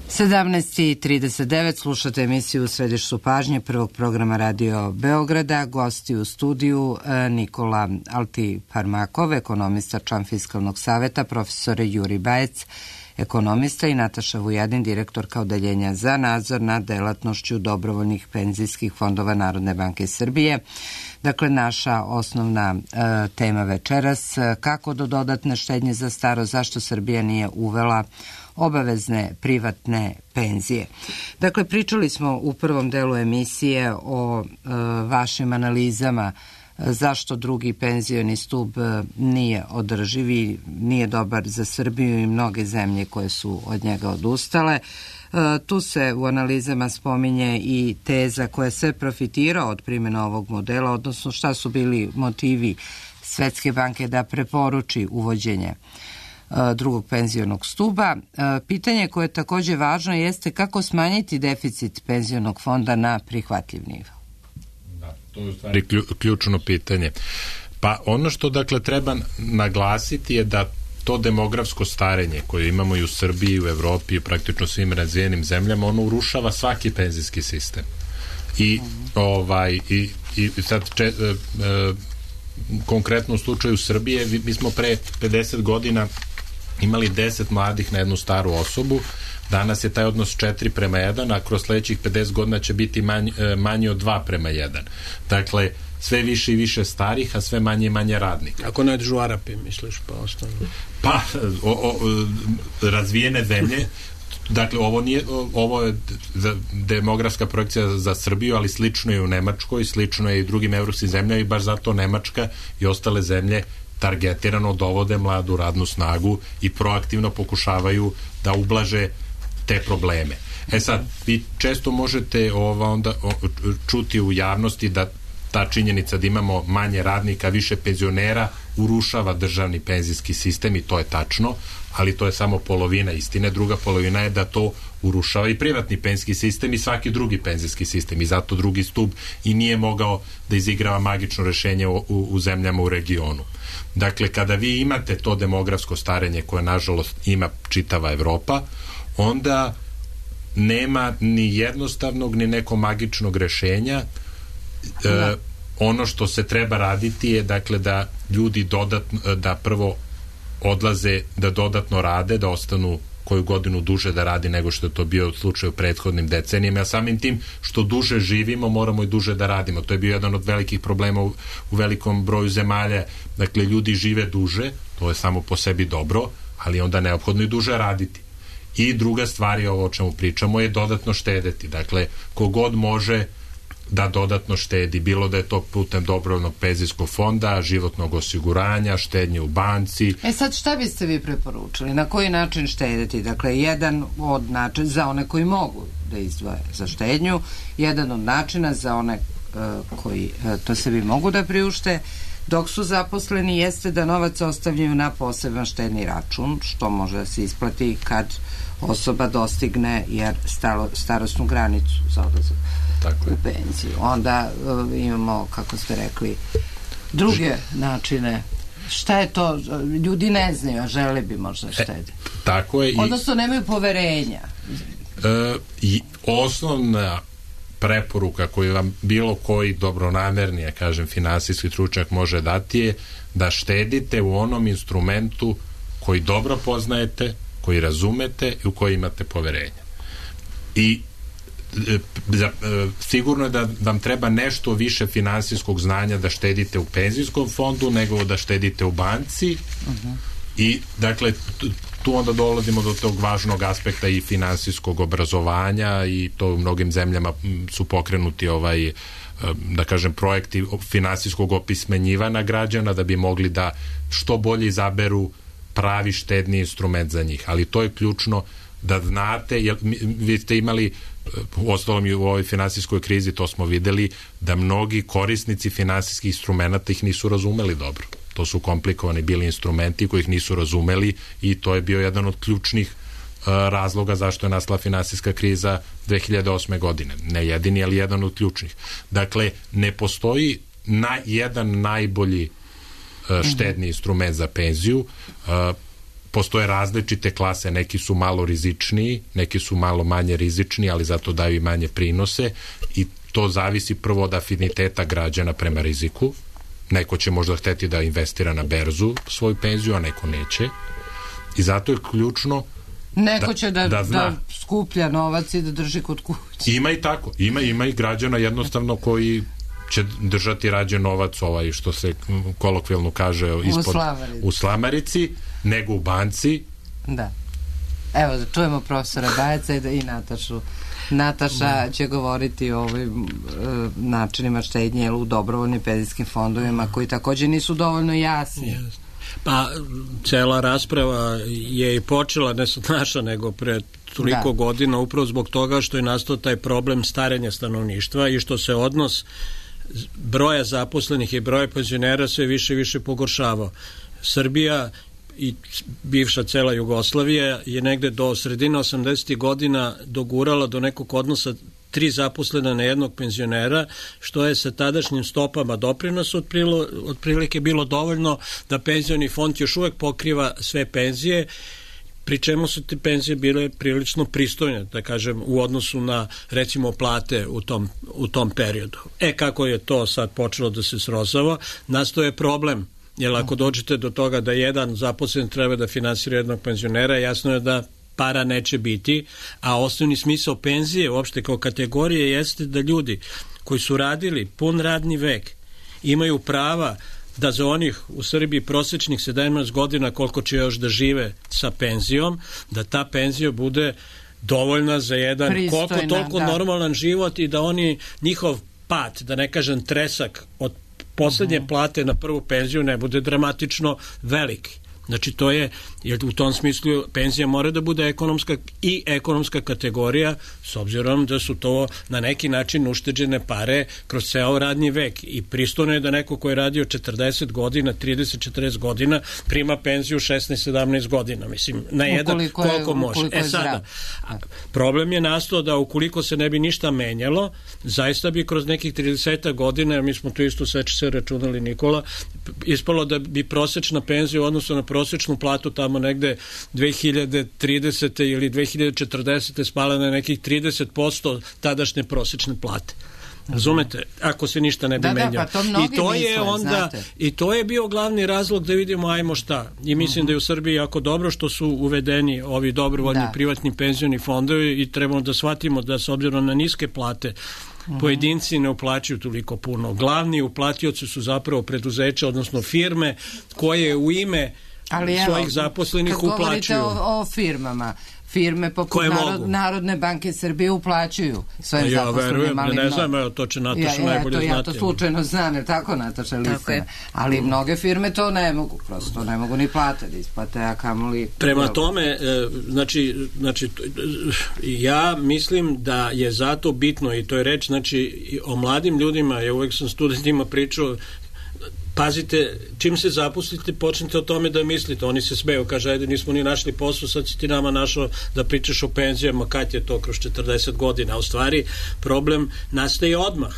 sedamnaest i trideset devet slušate emisiju U središtu pažnje prvog programa Radio Beograda. Gosti u studiju Nikola Altiparmakov, ekonomista, član Fiskalnog saveta, profesor Juri Bajec, ekonomista, i Nataša Vujadin, direktorka Odeljenja za nadzor nad delatnošću dobrovoljnih penzijskih fondova Narodne banke Srbije. Dakle, naša osnovna e, tema večeras, kako do dodatne štednje za staro, zašto Srbija nije uvela obavezne privatne penzije. Dakle, pričali smo u prvom delu emisije o e, vašim analizama e, zašto drugi penzioni stub e, nije održiv i nije dobar za Srbiju i mnoge zemlje koje su od njega odustale. E, tu se u analizama spominje i teza koja se profitirao od primjena ovog modela, odnosno šta su bili motivi Svetske banke da preporuči uvođenje drugog penzionog stuba. Pitanje koje je također važno jeste kako smanjiti deficit penzionog fonda na prihvatljiv nivo. Da, to je u stvari ključno pitanje. Pa ono što dakle treba naglasiti je da to demografsko starenje koje imamo i u Srbiji i u Evropi i praktično svim razvijenim zemljama, ono urušava svaki penzijski sistem. I ovaj i, i sad če, e, e, konkretno u slučaju Srbije, mi smo pre pedeset godina imali deset mladih na jednu staru osobu, danas je taj odnos četiri prema jedan, a kroz sledećih pedeset godina će biti manj, manji od dva prema jedan. Dakle, sve više i više starih, a sve manje i manje radnika. Ako ne Žuarapi, misliš, pa ostane? Pa, o, o, razvijene zemlje, dakle, ovo nije, ovo je demografska projekcija za Srbiju, ali slično je u Nemačkoj, slično je i drugim evropskim zemljama i baš zato Nemačka i ostale zemlje targetirano dovode mladu radnu snagu i proaktivno pokušavaju da ublaže te probleme. E sad, vi često možete ova onda o, čuti u javnosti da ta činjenica da imamo manje radnika, više penzionera urušava državni penzijski sistem i to je tačno, ali to je samo polovina istine. Druga polovina je da to urušava i privatni penzijski sistem i svaki drugi penzijski sistem i zato drugi stub i nije mogao da izigrava magično rešenje u, u, u zemljama u regionu. Dakle, kada vi imate to demografsko starenje koje nažalost ima čitava Evropa, onda nema ni jednostavnog ni nekog magičnog rešenja. E, ono što se treba raditi je dakle da ljudi dodatno, da prvo odlaze, da dodatno rade, da ostanu koju godinu duže da radi nego što je to bio slučaj u prethodnim decenijama, a samim tim što duže živimo moramo i duže da radimo. To je bio jedan od velikih problema u, u velikom broju zemalja. Dakle, ljudi žive duže, to je samo po sebi dobro, ali onda neophodno i duže raditi. I druga stvar je ovo o čemu pričamo je dodatno štedeti. Dakle, kogod može da dodatno štedi, bilo da je to putem dobrovoljnog penzijskog fonda, životnog osiguranja, štednje u banci. E sad, šta biste vi preporučili? Na koji način štedeti? Dakle, jedan od načina za one koji mogu da izdvoje za štednju, jedan od načina za one uh, koji uh, to sebi mogu da priušte dok su zaposleni jeste da novac ostavljaju na poseban štedni račun, što može da se isplati kad osoba dostigne jer stalo, starosnu granicu za odlazak u penziju. Onda uh, imamo, kako ste rekli, druge načine. Šta je to? Ljudi ne znaju, a žele bi možda štediti. E, tako je. Odnosno nemaju poverenja. E, i osnovna preporuka koju vam bilo koji dobronamerni, ja kažem, finansijski stručnjak može dati je da štedite u onom instrumentu koji dobro poznajete, koji razumete i u koji imate poverenja. I e, e, sigurno je da vam treba nešto više finansijskog znanja da štedite u penzijskom fondu nego da štedite u banci. Uh-huh. I dakle tu onda dolazimo do tog važnog aspekta i finansijskog obrazovanja i to u mnogim zemljama su pokrenuti ovaj, da kažem, projekti finansijskog opismenjivanja građana da bi mogli da što bolje izaberu pravi štedni instrument za njih. Ali to je ključno da znate, jer vi ste imali u ostalom i u ovoj finansijskoj krizi, to smo videli, da mnogi korisnici finansijskih instrumenta ih nisu razumeli dobro. To su komplikovani bili instrumenti koji ih nisu razumeli i to je bio jedan od ključnih uh, razloga zašto je nastala finansijska kriza dve hiljade osme godine. Ne jedini, ali jedan od ključnih. Dakle, ne postoji na, jedan najbolji uh, štedni instrument za penziju. Uh, postoje različite klase, neki su malo rizičniji, neki su malo manje rizični, ali zato daju i manje prinose i to zavisi prvo od afiniteta građana prema riziku. Neko će možda hteti da investira na berzu svoju penziju, a neko neće. I zato je ključno neko će da, da, da skuplja novac i da drži kod kuće. Ima i tako. Ima, ima i građana jednostavno koji će držati rađe novac, ovaj što se kolokvijalno kaže ispod, u, slamarici. u slamarici, nego u banci. Da. Evo, da čujemo profesora Bajaca i, da, i Natašu. Nataša će govoriti o ovim uh, načinima štednje u dobrovoljnim penzijskim fondovima koji također nisu dovoljno jasni. Yes. Pa, cela rasprava je i počela, ne sad naša, nego pre toliko da. godina, upravo zbog toga što je nastao taj problem starenja stanovništva i što se odnos broja zaposlenih i broja penzionera sve više i više pogoršavao. Srbija i bivša cela Jugoslavija je negde do sredine osamdesetih godina dogurala do nekog odnosa tri zaposlena na jednog penzionera, što je sa tadašnjim stopama doprinosa otprilike bilo dovoljno da penzioni fond još uvek pokriva sve penzije, pri čemu su te penzije bile prilično pristojne, da kažem, u odnosu na, recimo, plate u tom, u tom periodu. E, kako je to sad počelo da se srozava, nastao je problem, jer ako dođete do toga da jedan zaposlen treba da finansira jednog penzionera, jasno je da para neće biti, a osnovni smisao penzije uopšte kao kategorije jeste da ljudi koji su radili pun radni vek imaju prava da za onih u Srbiji prosečnih sedamnaest godina koliko će još da žive sa penzijom, da ta penzija bude dovoljna za jedan pristojna, koliko toliko da. normalan život i da oni njihov pad, da ne kažem tresak od poslednje uh-huh. plate na prvu penziju ne bude dramatično veliki. Znači to je, jer u tom smislu penzija mora da bude ekonomska i ekonomska kategorija, s obzirom da su to na neki način ušteđene pare kroz ceo radni vek i pristojno je da neko ko je radio četrdeset godina, trideset četrdeset godina prima penziju šesnaest sedamnaest godina, mislim, na jedan ukoliko koliko je, može. E sada, problem je nastao da ukoliko se ne bi ništa menjalo, zaista bi kroz nekih trideset godina, mi smo to isto seče se računali Nikola, ispalo da bi prosečna penzija u odnosu na prosečnu platu tamo negde dve hiljade tridesete ili dve hiljade četrdesete spala na nekih trideset posto tadašnje prosečne plate. Razumete? Ako se ništa ne bi da, menjalo. Da, pa to I to je misle, onda znate. I to je bio glavni razlog da vidimo ajmo šta. I mislim uh-huh. da je u Srbiji jako dobro što su uvedeni ovi dobrovoljni da. privatni penzioni fondovi i trebamo da shvatimo da s obzirom na niske plate uh-huh. pojedinci ne uplaćuju toliko puno. Glavni uplatioci su zapravo preduzeća, odnosno firme koje u ime ali evo, svojih zaposlenih uplaćuju. Kad govorite o, o firmama, firme poput narod, Narodne banke Srbije uplaćuju svojim ja, zaposlenim. Verujem, ali ne znam, evo, to će Nataša ja, najbolje ja, to, znati. Ja to slučajno znam, jer tako Nataša Listina. Ali mnoge firme to ne mogu, prosto ne mogu ni plate da isplate, a kamoli... Prema tome, znači, znači, ja mislim da je zato bitno, i to je reč, znači, o mladim ljudima, ja uvek sam studentima pričao, pazite, čim se zaposlite, počnite o tome da mislite. Oni se smeju, kaže, ajde, nismo ni našli posao, sad si ti nama našao da pričaš o penzijama, kad je to kroz četrdeset godina. A u stvari, problem nastaje odmah.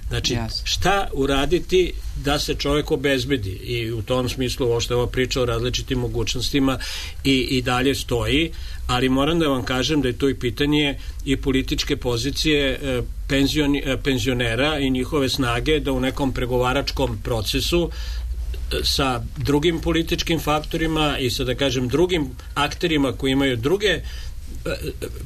Znači, yes. šta uraditi da se čovjek obezbedi? I u tom smislu, ovo što je ova priča o različitim mogućnostima i, i dalje stoji, ali moram da vam kažem da je to i pitanje i političke pozicije e, penzioni, e, penzionera i njihove snage da u nekom pregovaračkom procesu e, sa drugim političkim faktorima i sa, da kažem, drugim akterima koji imaju druge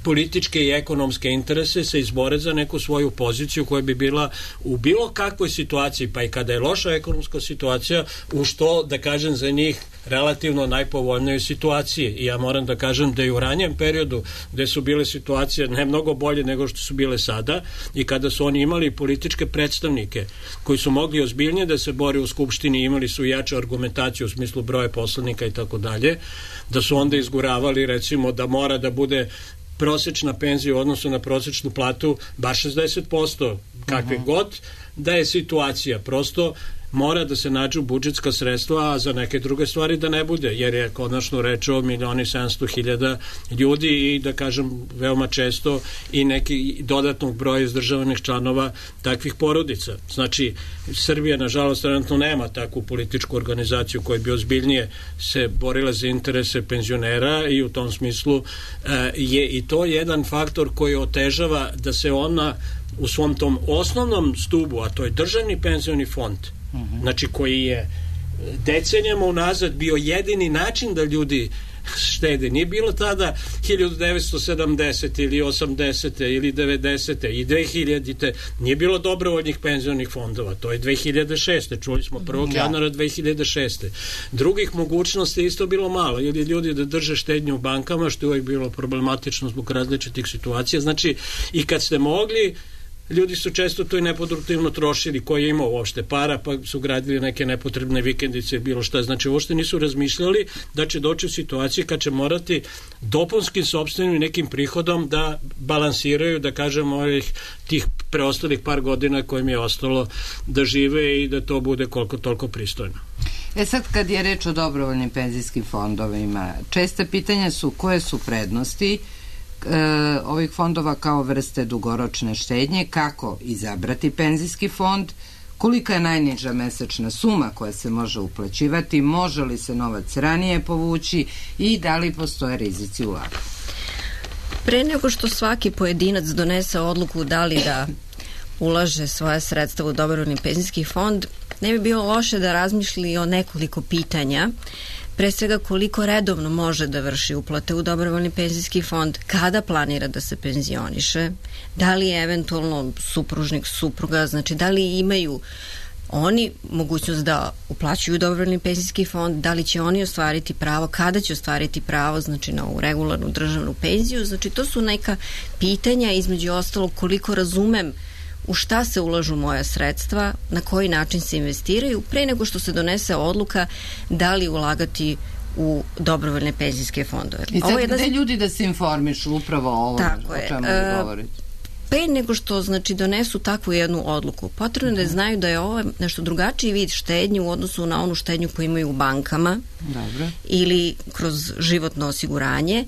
političke i ekonomske interese se izbore za neku svoju poziciju koja bi bila u bilo kakvoj situaciji, pa i kada je loša ekonomska situacija, u što, da kažem, za njih relativno najpovoljnijoj situaciji. I ja moram da kažem da i u ranijem periodu gde su bile situacije ne mnogo bolje nego što su bile sada i kada su oni imali političke predstavnike koji su mogli ozbiljnije da se bore u Skupštini, imali su jaču argumentaciju u smislu broja poslanika i tako dalje, da su onda izguravali recimo da mora da bude prosečna penzija u odnosu na prosečnu platu bar šezdeset posto kakve uh-huh. god da je situacija. Prosto mora da se nađu budžetska sredstva, a za neke druge stvari da ne bude, jer je konačno reč o milioni sedamsto hiljada ljudi i da kažem veoma često i neki dodatnog broja izdržavanih članova takvih porodica. Znači, Srbija nažalost trenutno nema takvu političku organizaciju koja bi ozbiljnije se borila za interese penzionera i u tom smislu e, je i to jedan faktor koji otežava da se ona u svom tom osnovnom stubu, a to je državni penzioni fond, uh-huh. znači koji je decenijama unazad bio jedini način da ljudi štede. Nije bilo tada hiljadu devetsto sedamdesete ili osamdesete ili devedesete i dve hiljadite. Nije bilo dobrovoljnih penzionih fondova. To je dve hiljade šeste. Čuli smo prvog januara dve hiljade šeste. Drugih mogućnosti isto bilo malo. Ili ljudi da drže štednju u bankama, što je uvijek bilo problematično zbog različitih situacija. Znači, i kad ste mogli, ljudi su često to i neproduktivno trošili, koji je imao uopšte para, pa su gradili neke nepotrebne vikendice, bilo šta. Znači, uopšte nisu razmišljali da će doći u situaciji kad će morati dopunskim sopstvenim i nekim prihodom da balansiraju, da kažem, ovih tih preostalih par godina kojim je ostalo da žive i da to bude koliko toliko pristojno. E sad, kad je reč o dobrovoljnim penzijskim fondovima, česte pitanja su koje su prednosti E, ovih fondova kao vrste dugoročne štednje, kako izabrati penzijski fond, kolika je najniža mesečna suma koja se može uplaćivati, može li se novac ranije povući i da li postoje rizici ulaganja. Pre nego što svaki pojedinac donese odluku da li da ulaže svoje sredstva u dobrovoljni penzijski fond, ne bi bilo loše da razmišlji o nekoliko pitanja. Pre svega, koliko redovno može da vrši uplate u dobrovoljni penzijski fond, kada planira da se penzioniše, da li je eventualno supružnik, supruga, znači da li imaju oni mogućnost da uplaćuju dobrovoljni penzijski fond, da li će oni ostvariti pravo, kada će ostvariti pravo, znači na ovu regularnu državnu penziju. Znači, to su neka pitanja, između ostalog, koliko razumem u šta se ulažu moja sredstva, na koji način se investiraju, pre nego što se donese odluka da li ulagati u dobrovoljne penzijske fondove. I sad, gde ljudi da se informišu upravo o ovom, o čemu vi govorite? Pre nego što, znači, donesu takvu jednu odluku, potrebno je da znaju da je ovo nešto drugačiji vid štednje u odnosu na onu štednju koju imaju u bankama. Dobro. Ili kroz životno osiguranje,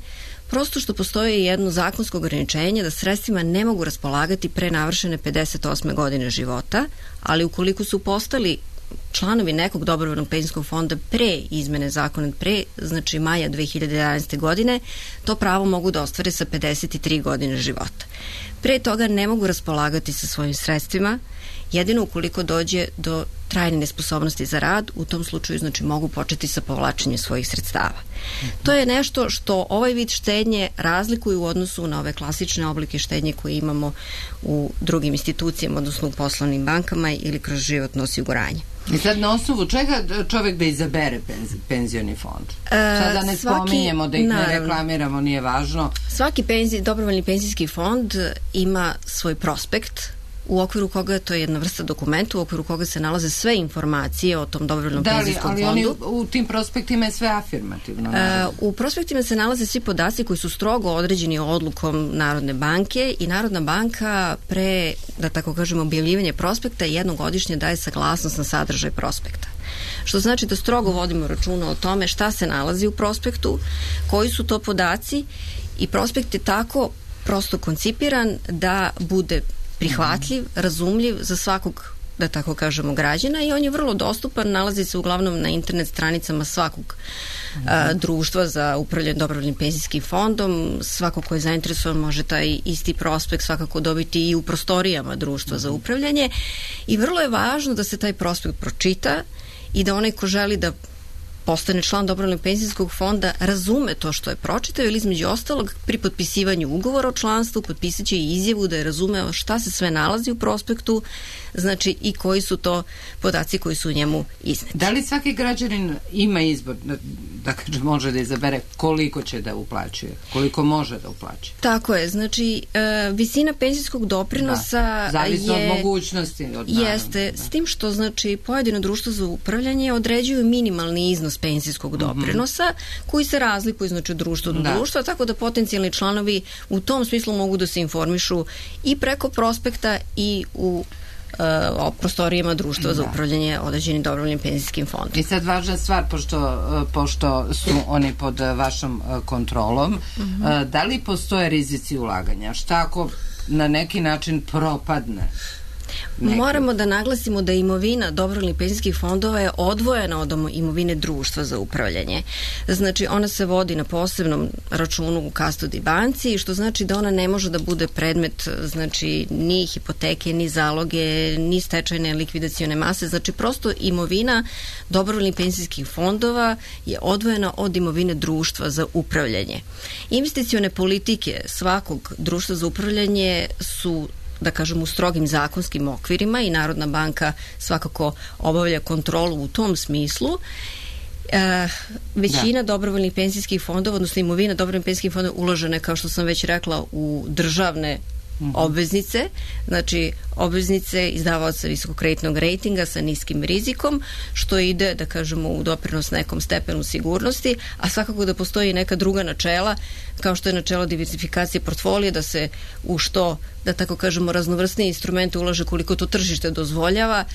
prosto što postoji jedno zakonsko ograničenje da sredstvima ne mogu raspolagati pre navršene pedeset osme godine života, ali ukoliko su postali članovi nekog dobrovoljnog penzijskog fonda pre izmene zakona, pre, znači maja dve hiljade jedanaeste godine, to pravo mogu da ostvare sa pedeset tri godine života. Pre toga ne mogu raspolagati sa svojim sredstvima, jedino ukoliko dođe do trajne nesposobnosti za rad, u tom slučaju, znači, mogu početi sa povlačenjem svojih sredstava. To je nešto što ovaj vid štednje razlikuje u odnosu na ove klasične oblike štednje koje imamo u drugim institucijama, odnosno u poslovnim bankama ili kroz životno osiguranje. I sad na osnovu čega čovjek da izabere penzi, penzioni fond? Sad da ne svaki, spominjemo, da ih naravno, ne reklamiramo, nije važno. Svaki penzi, dobrovoljni penzijski fond ima svoj prospekt, u okviru koga, to je jedna vrsta dokumenta, u okviru koga se nalaze sve informacije o tom dobrovoljnom da, penzijskom ali fondu. Da, ali u tim prospektima je sve afirmativno. E, u prospektima se nalaze svi podaci koji su strogo određeni odlukom Narodne banke i Narodna banka pre, da tako kažemo, objavljivanje prospekta jednogodišnje daje saglasnost na sadržaj prospekta. Što znači da strogo vodimo računa o tome šta se nalazi u prospektu, koji su to podaci, i prospekt je tako prosto koncipiran da bude prihvatljiv, razumljiv za svakog, da tako kažemo, građana, i on je vrlo dostupan, nalazi se uglavnom na internet stranicama svakog a, društva za upravljanje dobrovoljnim penzijskim fondom. Svako ko je zainteresovan može taj isti prospekt svakako dobiti i u prostorijama društva za upravljanje, i vrlo je važno da se taj prospekt pročita i da onaj ko želi da postane član dobrovoljnog penzijskog fonda razume to što je pročitao, ili između ostalog pri potpisivanju ugovora o članstvu potpisat će i izjavu da je razumeo šta se sve nalazi u prospektu, znači i koji su to podaci koji su u njemu izneti. Da li svaki građanin ima izbor, da, da kaže, može da izabere koliko će da uplaćuje, koliko može da uplaćuje? Tako je, znači e, visina penzijskog doprinosa da, zavisno je, od mogućnosti. Od jeste, da. S tim što, znači, pojedino društvo za upravljanje određuju minimalni iznos penzijskog doprinosa, mm-hmm. koji se razlikuju, znači, od društva do da. društva, tako da potencijalni članovi u tom smislu mogu da se informišu i preko prospekta i u o prostorijama društva za upravljanje određenim dobrovoljnim penzijskim fondom. I sad važna stvar, pošto, pošto su oni pod vašom kontrolom, mm-hmm. da li postoje rizici ulaganja? Šta ako na neki način propadne? Neki. Moramo da naglasimo da imovina dobrovoljnih penzijskih fondova je odvojena od imovine društva za upravljanje. Znači, ona se vodi na posebnom računu u custody banci, što znači da ona ne može da bude predmet, znači, ni hipoteke, ni zaloge, ni stečajne likvidacione mase. Znači, prosto imovina dobrovoljnih penzijskih fondova je odvojena od imovine društva za upravljanje. Investicione politike svakog društva za upravljanje su, da kažem, u strogim zakonskim okvirima i Narodna banka svakako obavlja kontrolu u tom smislu. E, većina da. dobrovoljnih penzijskih fondova, odnosno imovina dobrovoljnih penzijskih fondova uložena je, kao što sam već rekla, u državne mm-hmm. obveznice, znači obveznice izdavaoca visokokreditnog rejtinga sa niskim rizikom, što ide, da kažemo, u doprinos nekom stepenu sigurnosti, a svakako da postoji neka druga načela, kao što je načelo diversifikacije portfolija, da se u što, da tako kažemo, raznovrsnije instrumente ulaže koliko to tržište dozvoljava,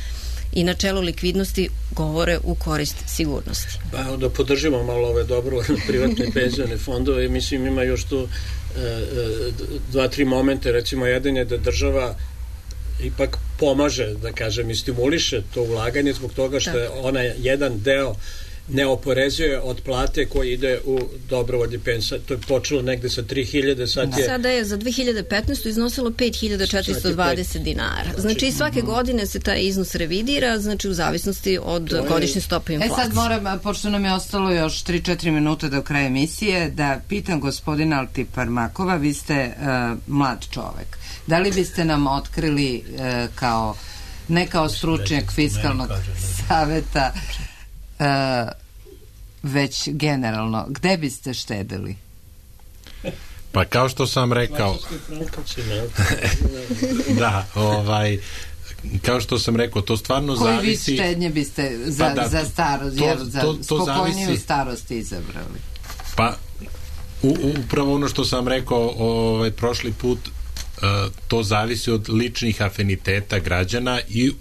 i načelo likvidnosti govore u korist sigurnosti. Pa da podržimo malo ove dobrovoljne privatne penzione fondove, mislim ima još tu e, e, dva, tri momente, recimo jedan je da država ipak pomaže, da kažem, i stimuliše to ulaganje zbog toga što je ona jedan deo ne oporezuje od plate koji ide u dobrovoljni penzij. To je počelo negde sa tri hiljade, sad je... Sada je za dve hiljade petnaestu iznosilo pet hiljada četiristo dvadeset dinara. Znači, svake godine se taj iznos revidira, znači u zavisnosti od godišnje stope inflacije. E sad moram, pošto nam je ostalo još tri četiri minuta do kraja emisije, da pitam gospodina Altiparmakova, vi ste uh, mlad čovek. Da li biste nam otkrili uh, kao, ne kao stručnjak fiskalnog saveta, Uh, već generalno, gde biste štedili? Pa kao što sam rekao da, ovaj kao što sam rekao, to stvarno koji zavisi... Koji vid štednje biste za, pa da, za starost, to, jer za to, to spokojniju zavisi... starost izabrali? Pa, u, upravo ono što sam rekao ovaj, prošli put, uh, to zavisi od ličnih afiniteta građana i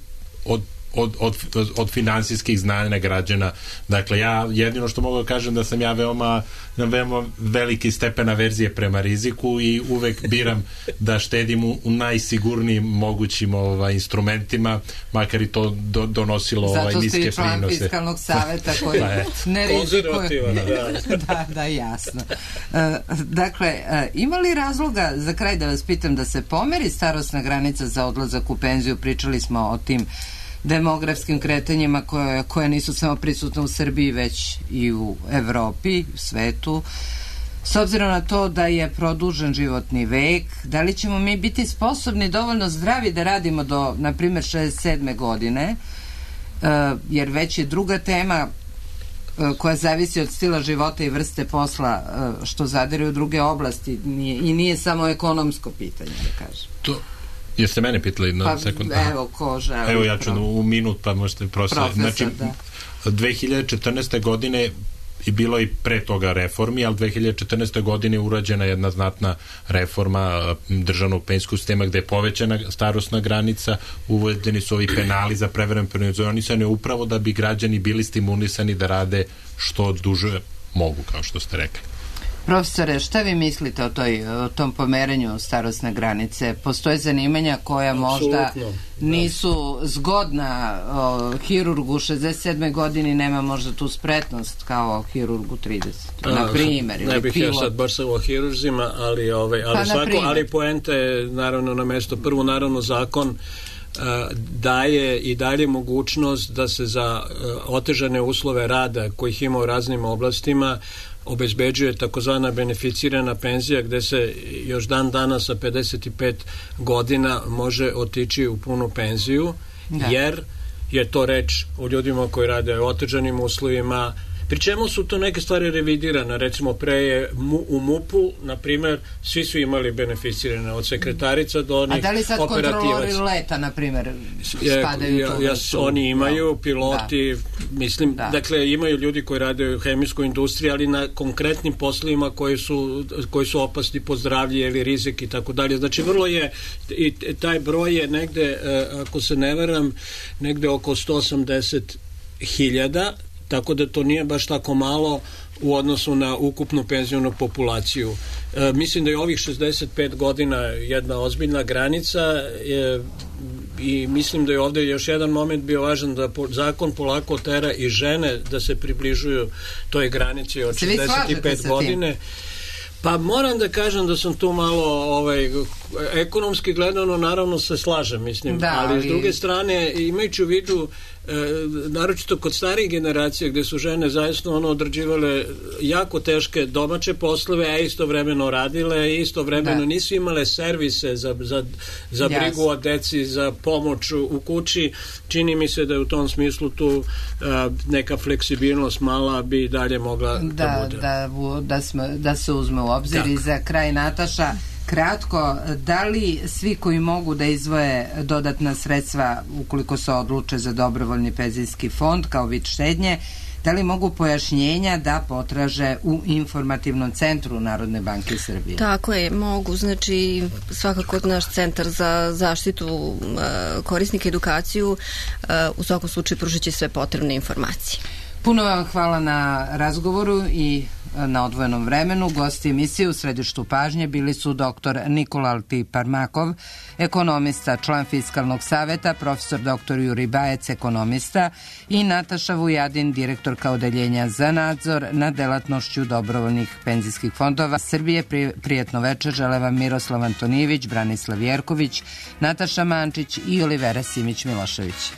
od Od, od, od finansijskih znanja građana. Dakle, ja jedino što mogu da kažem da sam ja veoma, veoma veliki stepen averzije prema riziku i uvek biram da štedim u, u najsigurnijim mogućim ovaj, instrumentima, makar i to do, donosilo ovaj, niske prinose. Zato ste i član fiskalnog saveta koji ne rizikuje. Da. da, da, jasno. Uh, dakle, uh, ima li razloga, za kraj da vas pitam, da se pomeri starosna granica za odlazak u penziju? Pričali smo o tim demografskim kretanjima koje, koje nisu samo prisutne u Srbiji, već i u Evropi, u svetu. S obzirom na to da je produžen životni vek, da li ćemo mi biti sposobni, dovoljno zdravi da radimo do, na primjer, šezdeset sedme godine, uh, jer već je druga tema uh, koja zavisi od stila života i vrste posla, uh, što zadire u druge oblasti, nije, i nije samo ekonomsko pitanje, da kažem. To Jeste mene pitali na pa, sekund? Evo, ko želi. Evo, ja ću u minut, pa možete profesor. Znači, da. dve hiljade četrnaeste. godine i bilo i pre toga reformi, ali dve hiljade četrnaeste. godine je urađena jedna znatna reforma državnog penzijskog sistema gde je povećana starosna granica, uvedeni su ovi penali za prevremeno penzionisanje upravo da bi građani bili stimulisani da rade što duže mogu, kao što ste rekli. Profesore, šta vi mislite o, toj, o tom pomeranju starosne granice? Postoje zanimanja koja možda nisu zgodna o, hirurgu u šezdeset sedmoj godini, nema možda tu spretnost kao hirurgu trideset. Na primjer. Ne bih ja sad baš o hirurzima, ali, ovaj, ali, pa svako, ali poenta je naravno na mesto. Prvo, naravno, zakon uh, daje i dalje mogućnost da se za uh, otežane uslove rada kojih ima u raznim oblastima obezbeđuje takozvana beneficirana penzija gde se još dan dana sa pedeset pet godina može otići u punu penziju, da. Jer je to reč o ljudima koji rade u otežanim uslovima, Pri čemu su to neke stvari revidirane, recimo pre je u MUP-u, na primer, svi su imali beneficirane od sekretarica do onih operativaca. A da li sad kontrolori leta, na primer, spadaju ja, ja, to? Oni imaju, da. Piloti, da. mislim, da. dakle, imaju ljudi koji rade u hemijskoj industriji, ali na konkretnim poslovima koji su, koji su opasni po zdravlje ili rizik i tako dalje. Znači, vrlo je, i taj broj je negde, ako se ne veram, negde oko sto osamdeset hiljada, tako da to nije baš tako malo u odnosu na ukupnu penzijonu populaciju. E, mislim da je ovih šezdeset pet godina jedna ozbiljna granica e, i mislim da je ovde još jedan moment bio važan, da po, zakon polako tera i žene da se približuju toj granici od šezdeset pet godine. Pa moram da kažem da sam tu malo ovaj, ekonomski gledano naravno se slažem, mislim, da, ali, ali s druge strane imajući u vidu e, naročito kod starih generacija gde su žene zaista ono odrađivale jako teške domaće poslove, a istovremeno radile i istovremeno da. nisu imale servise za, za, za brigu yes. o deci, za pomoć u kući. Čini mi se da je u tom smislu tu a, neka fleksibilnost mala bi dalje mogla da, da bude. Da, da, smo, da se uzme u obzir. Tak. I za kraj, Nataša, kratko, da li svi koji mogu da izvoje dodatna sredstva ukoliko se odluče za dobrovoljni penzijski fond kao vid štednje, da li mogu pojašnjenja da potraže u informativnom centru Narodne banke Srbije? Tako je, mogu. Znači, svakako naš centar za zaštitu uh, korisnika edukaciju uh, u svakom slučaju pružit će sve potrebne informacije. Puno vam hvala na razgovoru i na odvojenom vremenu. Gosti emisije u središtu pažnje bili su doktor Nikola Altiparmakov, ekonomista, član Fiskalnog saveta, profesor doktor Juri Bajec, ekonomista, i Nataša Vujadin, direktorka odeljenja za nadzor nad delatnošću dobrovoljnih penzijskih fondova Srbije. Prijetno večer žele vam Miroslav Antonijević, Branislav Jerković, Nataša Mančić i Olivera Simić-Milošević.